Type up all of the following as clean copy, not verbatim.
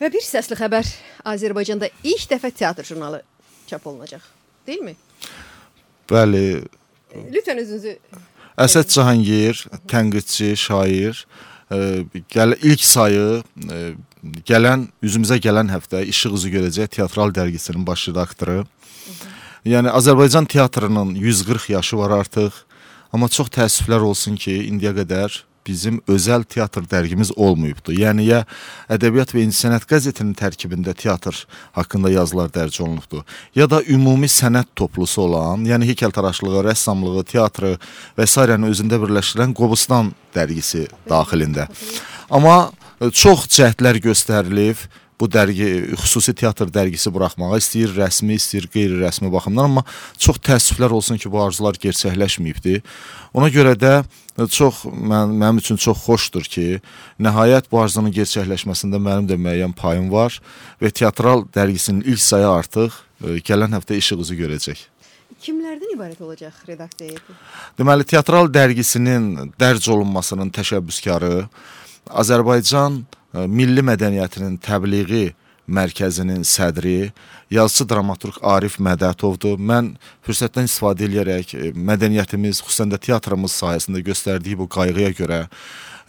Və bir səsli xəbər Azərbaycanda ilk dəfə teatr jurnalı çap olunacaq, deyilmi? Bəli. Lütfən özünüzü... Əsəd Cahangir, tənqidçi, şair, ilk sayı üzümüzə gələn həftə İşıq üzü görəcək teatral dərgisinin baş redaktoru. Yəni Azərbaycan teatrının 140 yaşı var artıq, amma çox təəssüflər olsun ki, indiyə qədər bizim özəl teatr dərgimiz olmayıbdır. Yəni, ya Ədəbiyyat və İncəsənət qəzetinin tərkibində teatr haqqında yazılar dərc olunubdur, ya da ümumi sənət toplusu olan, yəni heykəltaraşlığı, rəssamlığı, teatrı və s. özündə birləşdirən Qobustan dərgisi daxilində. Amma çox cəhdlər göstərilib, bu dərgi, xüsusi teatr dərgisi buraxmağa istəyir, rəsmi, istəyir, qeyri-rəsmi baxımdan, amma çox təəssüflər olsun ki, bu arzular gerçəkləşməyibdir. Ona görə də mənim üçün çox xoşdur ki, nəhayət bu arzunun gerçəkləşməsində mənim də müəyyən payım var və teatral dərgisinin ilk sayı artıq gələn həftə işıq üzü görəcək. Kimlərdən ibarət olacaq redaksiya heyəti? Deməli, teatral dərgisinin dərc olunmasının təşəbbüskarı Azərbaycan Milli Mədəniyyətinin Təbliği Mərkəzinin sədri, yazıcı dramaturq Arif Mədətovdur. Mən fürsətdən istifadə edərək mədəniyyətimiz, xüsusən də teatrımız sahəsində göstərdiyi bu qayğıya görə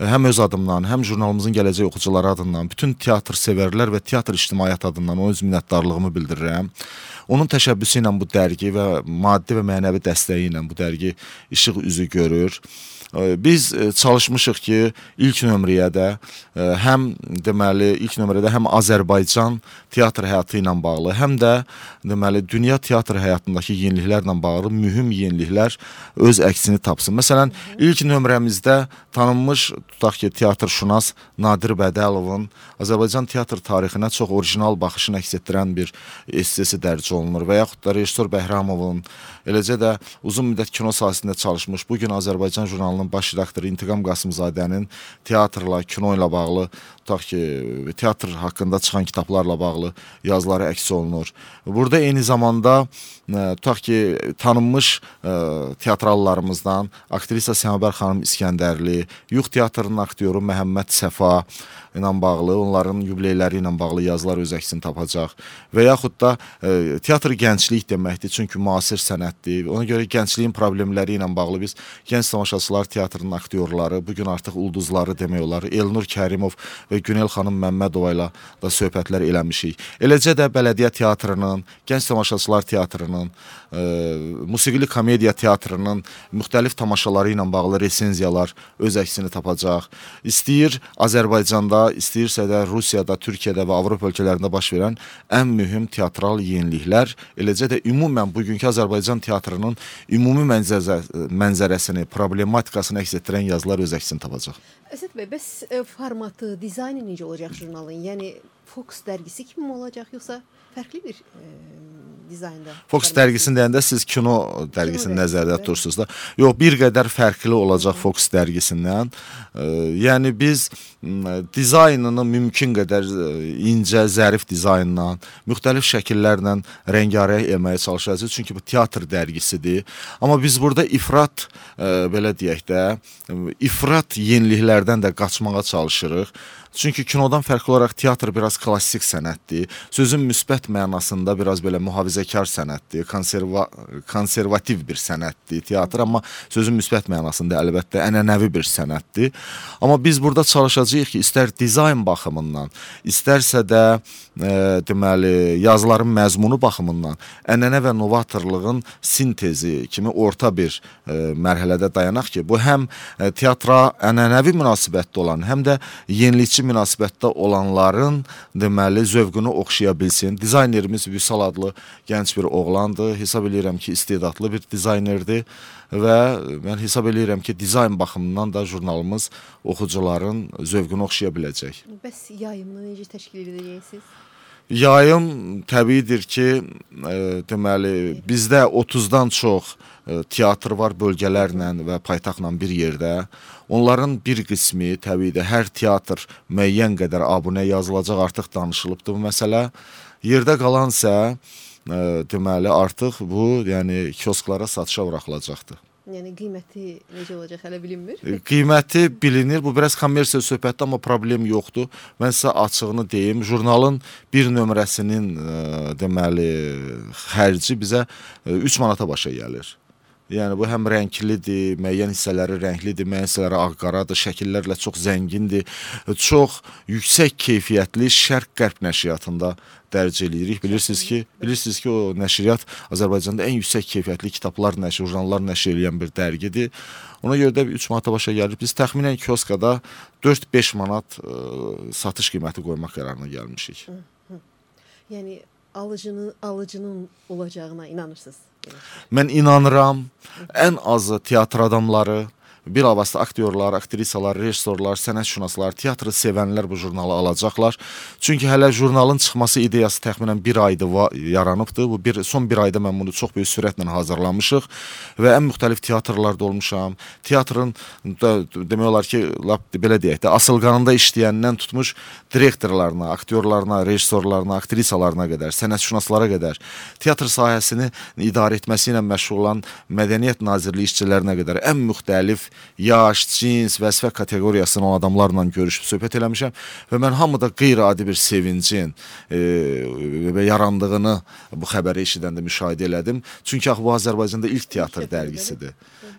həm öz adımdan, həm jurnalımızın gələcək oxucuları adından, bütün teatr sevərlər və teatr ictimaiyyət adından ona öz minnətdarlığımı bildirirəm. Onun təşəbbüsü ilə bu dərgi və maddi və mənəvi dəstəyi ilə bu dərgi işıq üzü görür. Biz çalışmışıq ki, ilk nömrədə həm Azərbaycan teatr həyatı ilə bağlı, həm də dünya teatr həyatındakı yeniliklərlə bağlı mühüm yeniliklər öz əksini tapsın. Məsələn, ilk nömrəmizdə tanınmış, tutaq ki, teatrşünas Nadir Bədəlovun Azərbaycan teatr tarixinə çox orijinal baxışını əks etdirən bir essesi dərc olunur və yaxud da rejissor Bəhramovun, eləcə də uzun müddət kino sahəsində çalışmış, bugün Azərbaycan jurnalının baş redaktoru İntiqam Qasımzadənin teatrla, kino ilə bağlı, tutaq ki, teatr haqqında çıxan kitablarla bağlı yazıları əks olunur. Burada eyni zamanda tutaq ki, tanınmış teatrallarımızdan aktrisa Səmabər xanım İskəndərli, Yux teatrının aktyoru Məhəmməd Səfa ilə bağlı, onların yubileyləri ilə bağlı yazılar öz əksini tapacaq. Və yaxud da teatr gənclik deməkdir, çünki müasir sənətdir. Ona görə gəncliyin problemləri ilə bağlı biz Gənc Tamaşaçılar Teatrının aktyorları, bugün artıq ulduzları demək olar, Elnur Kərimov və Günel xanım Məmmədova ilə da söhbətlər eləmişik. Eləcə də Bələdiyyə Teatrının, Gənc Tamaşaçılar Teatrının, Musiqili Komediya Teatrının müxtəlif tamaşaları ilə bağlı resenziyalar öz əksini tapacaq. İstəyir Azərbaycanda, istəyirsə də Rusiyada, Türkiyədə və Avropa ölkələrində baş verən ən mühüm teatral yeniliklər, eləcə də ümumən bugünkü Azərbaycan teatrının ümumi mənzərəsini, problematikasını əks etdirən yazılar öz əksini tapacaq. Əsəd bəy, bəs formatı, dizaynı necə olacaq jurnalın? Yəni Fox dərgisi kimi mi olacaq, yoxsa fərqli bir dizaynda? Fox dərgisini deyəndə siz kino dərgisini nəzərdə tutursunuz da. Yox, bir qədər fərqli olacaq Fox dərgisindən. Yəni biz dizaynını mümkün qədər incə, zərif dizaynla, müxtəlif şəkillərlə rəngarəng eləməyə çalışacağıq. Çünki bu teatr dərgisidir. Amma biz burada ifrat, belə deyək də, ifrat yeniliklərdən də qaçmağa çalışırıq. Çünki kinodan fərqli olaraq teatr biraz klassik sənətdir. Sözün müsbət mənasında biraz belə mühafizəkar sənətdir, konservativ bir sənətdir teatr, amma sözün müsbət mənasında əlbəttə ənənəvi bir sənətdir. Amma biz burada çalışacağıq ki, istər dizayn baxımından, istərsə də deməli yazıların məzmunu baxımından ənənə və novatorluğun sintezi kimi orta bir mərhələdə dayanaq ki, bu həm teatra ənənəvi münasibətdə olan, həm də yenilikçi münasibətdə olanların deməli zövqünü oxşaya bilsin. Dizaynerimiz Vüsal adlı gənc bir oğlandır. Hesab edirəm ki, istedadlı bir dizaynerdir və mən hesab edirəm ki, dizayn baxımından da jurnalımız oxucuların zövqünü oxşaya biləcək. Bəs yayımını necə təşkil edəcəksiniz? Yayım təbiidir ki, deməli bizdə 30-dan çox teatr var bölgələrlə və paytaxtla bir yerdə. Onların bir qismi təbii hər teatr müəyyən qədər abunə yazılacaq, artıq danışılıbdır bu məsələ. Yerdə qalansa deməli artıq bu, yəni kiosklara satışa buraxılacaqdır. Yəni qiyməti necə olacaq hələ bilinmir. Qiyməti bilinir. Bu biraz kommersiya söhbətdir, amma problem yoxdur. Mən sizə açığını deyim. Jurnalın bir nömrəsinin deməli xərci bizə 3 manata başa gəlir. Yəni bu həm rənglidir, müəyyən hissələri rənglidir, müəyyən hissələri ağ-qaradır, şəkillərlə çox zəngindir. Çox yüksək keyfiyyətli Şərq-Qərb nəşriyyatında dərc eləyirik. Bilirsiniz ki, o nəşriyyat Azərbaycanda ən yüksək keyfiyyətli kitablar nəşr, jurnallar nəşr edən bir dərgidir. Ona görə də 3 manata başa gəlir. Biz təxminən kioskada 4-5 manat satış qiyməti qoymaq qərarına gəlmişik. Yəni alıcının olacağına inanırsınız. Mən inanıram, ən azı teatr adamları, bilavasitə aktyorlar, aktrisalar, rejissorlar, sənətşünaslar, teatrı sevənlər bu jurnalı alacaqlar. Çünki hələ jurnalın çıxması ideyası təxminən bir ayda yaranıbdır. Son bir ayda mən bunu çox böyük sürətlə hazırlamışıq və ən müxtəlif teatrlarda olmuşam. Teatrın demək olar ki, belə deyək də, asılqanında işləyəndən tutmuş direktorlarına, aktyorlarına, rejissorlarına, aktrisalarına qədər, sənətşünaslara qədər, teatr sahəsini idarə etməsi ilə məşğul olan Mədəniyyət Nazirliyi işçilərinə qədər ən müxtəlif yaş, cins, vəzifə kateqoriyasının adamlarla görüşüb söhbət eləmişəm və mən hamıda qeyri-adi bir sevincin yarandığını bu xəbəri eşidəndə müşahidə elədim. Çünki bu Azərbaycanda ilk teatr dərgisidir.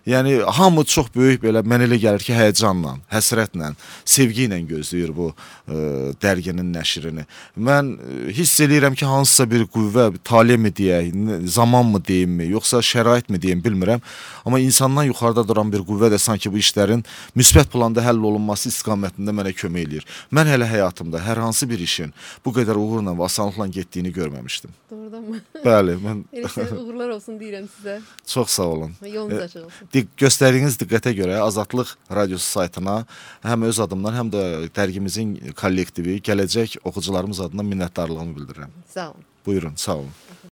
Yəni hamı çox böyük belə, mən elə gəlir ki, həyəcanla, həsrətlə, sevgi ilə gözləyir bu dərginin nəşrini. Mən hiss eləyirəm ki, hansısa bir qüvvə, tale mi deyək, zaman mı deyimmi, yoxsa şərait mi deyim, bilmirəm. Amma insandan yuxarıda duran bir qüvvə də sanki bu işlərin müsbət planda həll olunması istiqamətində mənə kömək eləyir. Mən hələ həyatımda hər hansı bir işin bu qədər uğurla və asanlıqla getdiyini görməmişdim. Doğrudanmı? Bəli. Elə uğurlar olsun deyirəm sizə. Çox sağ olun. Yolunuz açıq olsun. Göstərdiyiniz diqqətə görə Azadlıq Radiosu saytına həm öz adımdan, həm də dərgimizin kollektivi, gələcək oxucularımız adına minnətdarlığımı bildirirəm. Sağ olun. Buyurun, sağ olun.